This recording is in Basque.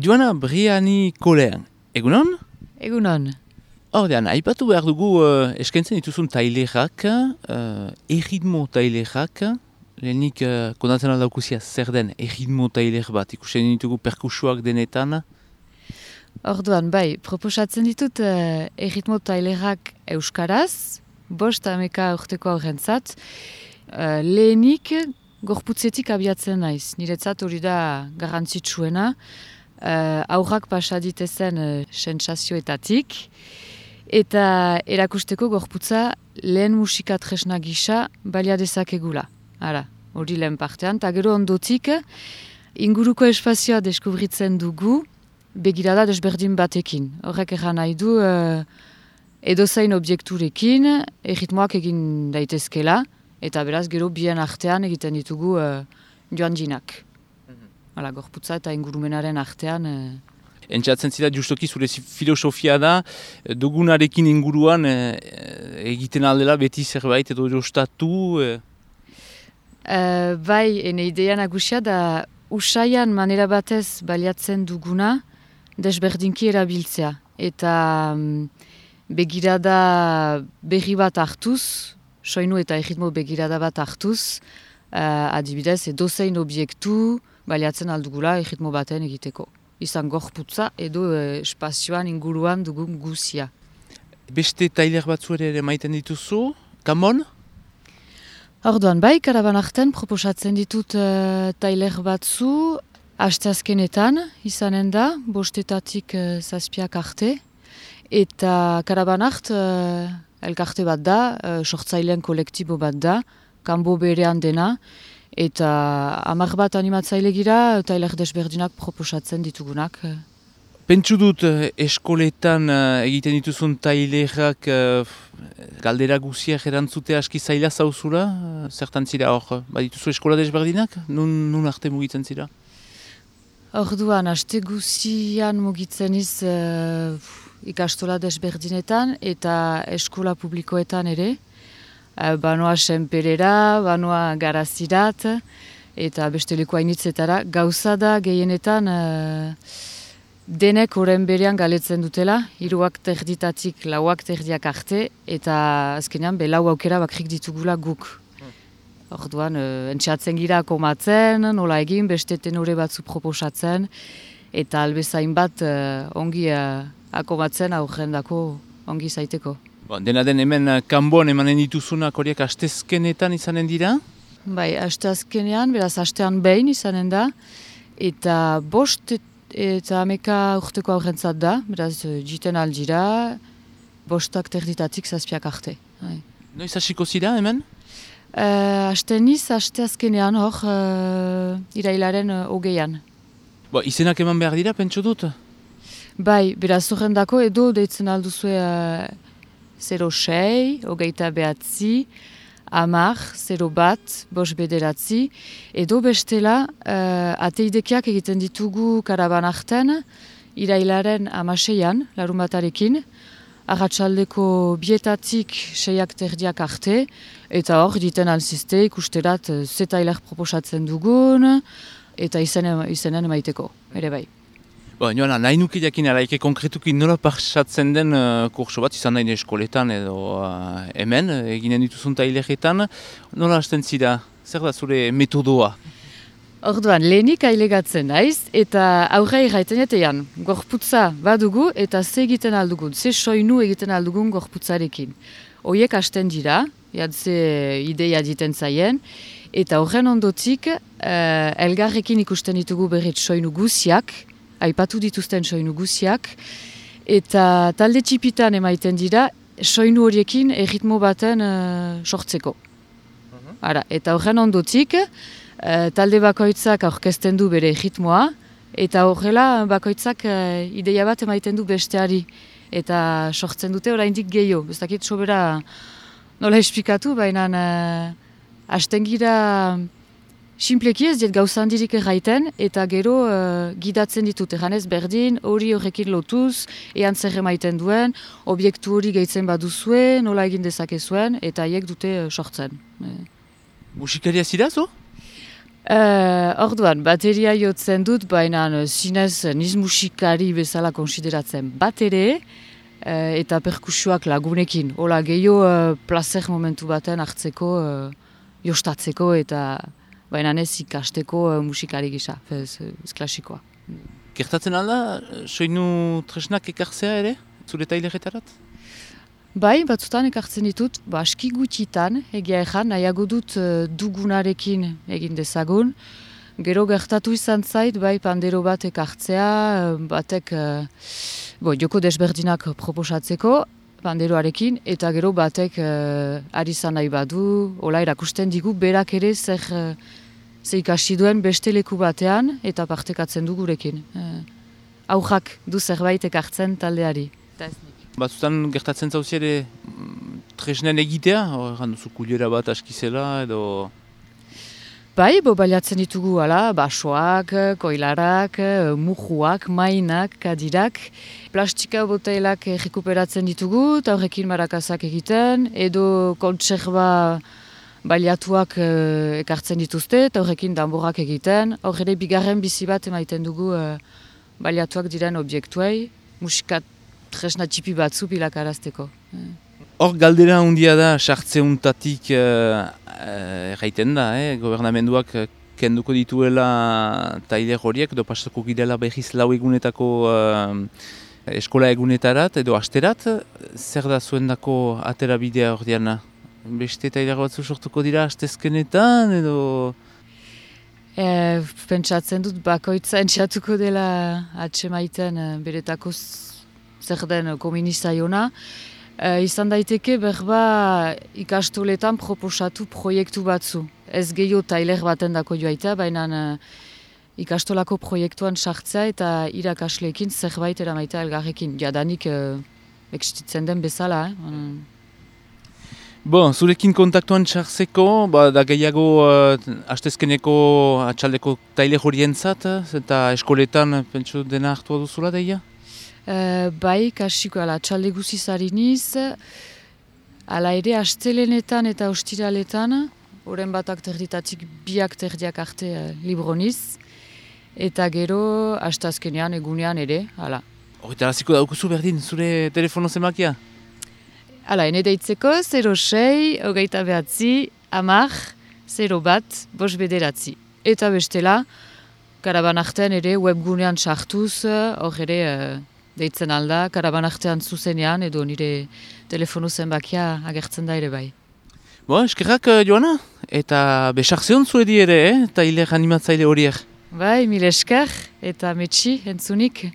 Joana Briani Kolean, egunon? Egunon. Ordean, aipatu behar dugu eskaintzen dituzun tailerak, erritmo tailerak, lehenik kondatzen aldaukuzia zer den erritmo tailer bat, ikusten ditugu perkusuak denetan. Orduan, bai, proposatzen ditut erritmo tailerak euskaraz, 5 urteko aurrentzat, lehenik gorputzetik abiatzen naiz. Niretzat hori da garrantzitsuena, aurrak pasaditezen sentsazioetatik, eta erakusteko gorputza lehen musika tresna gisa balia dezakegula. Ara, hori lehen partean, eta gero ondotik inguruko espazioa deskubritzen dugu begirada desberdin batekin. Horrek erran nahi du edozein objekturekin erritmoak egin daitezkela, eta beraz gero bien artean egiten ditugu joan jinak. Hala, gorputza eta ingurumenaren artean. Entzatzen zira justoki zure filosofia da, dugunarekin inguruan egiten aldela beti zerbait edo jostatu? Bai, ene idea nagusia da usaian manera batez baliatzen duguna desberdinki erabiltzea. Eta begirada berri bat hartuz, soinu eta erritmo begirada bat hartuz, adibidez edozein objektu baliatzen aldugula erritmo baten egiteko. Izan gorputza edo espazioan inguruan dugun guzia. Beste tailer batzu ere maiten dituzu, kamon? Orduan, bai, karaban artean proposatzen ditut tailer batzu, asteazkenetan izanen da, 5-etatik 7 arte, eta karaban art elkarte bat da, sortzaileen kolektibo bat da, kanbo berean dena, eta 10 bat animatzaile gira, tailer desberdinak proposatzen ditugunak. Pentsu dut eskoletan egiten dituzun tailerak galdera guziak erantzute aski zaila zauzula, zertan zira hor, badituzu eskola desberdinak, nun arte mugitzen zira? Orduan, aste guzian mugitzen iz ikastola desberdinetan eta eskola publikoetan ere. Banoa senperera, banoa garazirat, eta beste leku hainitzetara. Gauza da gehienetan denek oren berean galetzen dutela, 3:00 4:00 arte, eta azkenean lau aukera bakrik ditugula guk. Orduan, entxatzen gira komatzen, nola egin, beste tenore batzu proposatzen, eta albezain bat ongi akomatzen aurrendako ongi zaiteko. Dena den hemen kanboan emanen dituzunak horiek astezkenetan izanen dira? Bai, asteazkenean, beraz astean behin izanen da, eta 5 eta 10 urteko aurrentzat da, beraz jiten aldira, 5:30 7 arte. Noiz hasiko zira hemen? Asteazkenean hor, irailaren 20an. Izenak eman behar dira, pentsu dut? Bai, beraz horrendako edo deitzen alduzue 06, 29, 10, 01, 5 edo bestela ateidekiak egiten ditugu karaban arten, irailaren 16an, larunbatarekin, arratsaldeko 2:00 6:30 arte, eta hor diten alzizte ikusterat ze tailer proposatzen dugun, eta izenen emaiteko, ere bai. Joana, nahi nuke jakin araike konkretuki nola pasatzen den kurso bat, izan nahi eskoletan edo hemen, eginen dituzun taileretan, nola hasten zira? Zer da zure metodoa? Orduan, lehenik ailegatzen naiz, eta aurre irraiten jatean, gorputza badugu eta ze egiten aldugun, ze soinu egiten aldugun gorputzarekin. Hoiek hasten dira, ze ideia diten zaien, eta horren ondotik elgarrekin ikusten ditugu berret soinu guziak, aipatu dituzten soinu guziak, eta talde txipitan emaiten dira, soinu horiekin erritmo baten sortzeko. Eta horren ondotik, talde bakoitzak aurkezten du bere erritmoa, eta horrela bakoitzak ideia bat emaiten du besteari, eta sortzen dute oraindik gehiago. Ez dakit sobera nola esplikatu, baina hasten gira sinpleki ez diet gauza handirik erraiten, eta gero gidatzen ditut, erranez berdin, hori horrekin lotuz, ean zer emaiten duen, objektu hori gehitzen baduzue, nola egin dezakezuen, eta haiek dute sortzen. Musikaria zira zo? Orduan, bateria jotzen dut, baina zinez niz musikari bezala konsideratzen bat ere, eta perkusioak lagunekin. Hola, gehiago placer momentu baten hartzeko, jostatzeko eta baina ez ikasteko musikari gisa, ez klasikoa. Gertatzen alda, soinu tresnak ekartzea ere, zure taileretarat? Bai, batzutan ekartzen ditut, aski gutxitan, egia ezan, nahiago dut dugunarekin egin dezagun. Gero gertatu izan zait, bai, pandero bat ekartzea, batek joko desberdinak proposatzeko, panderoarekin, eta gero batek ari zan nahi badu, hola erakusten digu, berak ere zer ikasi duen beste leku batean, eta partekatzen du gurekin. Aujak du zerbait ekartzen taldeari. Batzutan gertatzen zauzi ere tresnen egitea, horregan duzu kuliera bat askizela edo... Bai, baliatzen ditugu, basoak, koilarak, mujuak, mainak, kadirak. Plastika botailak rekuperatzen ditugu, eta horrekin marakazak egiten, edo kontserba baliatuak ekartzen dituzte, eta horrekin danborak egiten. Horre bigarren bizi bat emaiten dugu baliatuak diren objektuei, musikat tresna txipi batzu bilakarazteko. Hor galdera handia da, sartzeuntatik erraiten da, gobernamenduak kenduko dituela tailer horiek, edo pasako girela behiz lau egunetako eskola egunetarat, edo asterat, zer da zuendako atera bidea hor diana? Beste tailer batzu sortuko dira astezkenetan, edo... Pentsatzen dut bakoitza entxatuko dela atsemaiten beretako zer den kominizaiona. Izan daiteke berba ikastoletan proposatu proiektu batzu. Ez gehiago tailer baten dako joaita, baina ikastolako proiektuan sartzea eta irakasleekin zerbait eramaita elgarrekin. Jadanik existitzen den bezala. Zurekin kontaktuan sartzeko, da gehiago astezkeneko atxaldeko tailer horientzat, eta eskoletan pentsu dena hartua duzula deia? Bai, kasiko atxalde guziz hariniz, ala ere astelenetan eta ostiraletan, oren batak terditatik biak terdiak arte libroniz, eta gero astazkenean egunean ere, hala. Horretaraziko daukuzu berdin, zure telefono zemakia? Hala, ene deitzeko 06, 29, 10, 01, 5 Eta bestela, karabanartean ere webgunean sartuz, hor ere deitzen alda, karabanartean zuzenean edo nire telefono zenbakia agertzen da ere bai. Eskerrak Joana, eta besartzeon zuedi ere, tailer animatzaile horiek. Bai, mil esker eta metxi entzunik.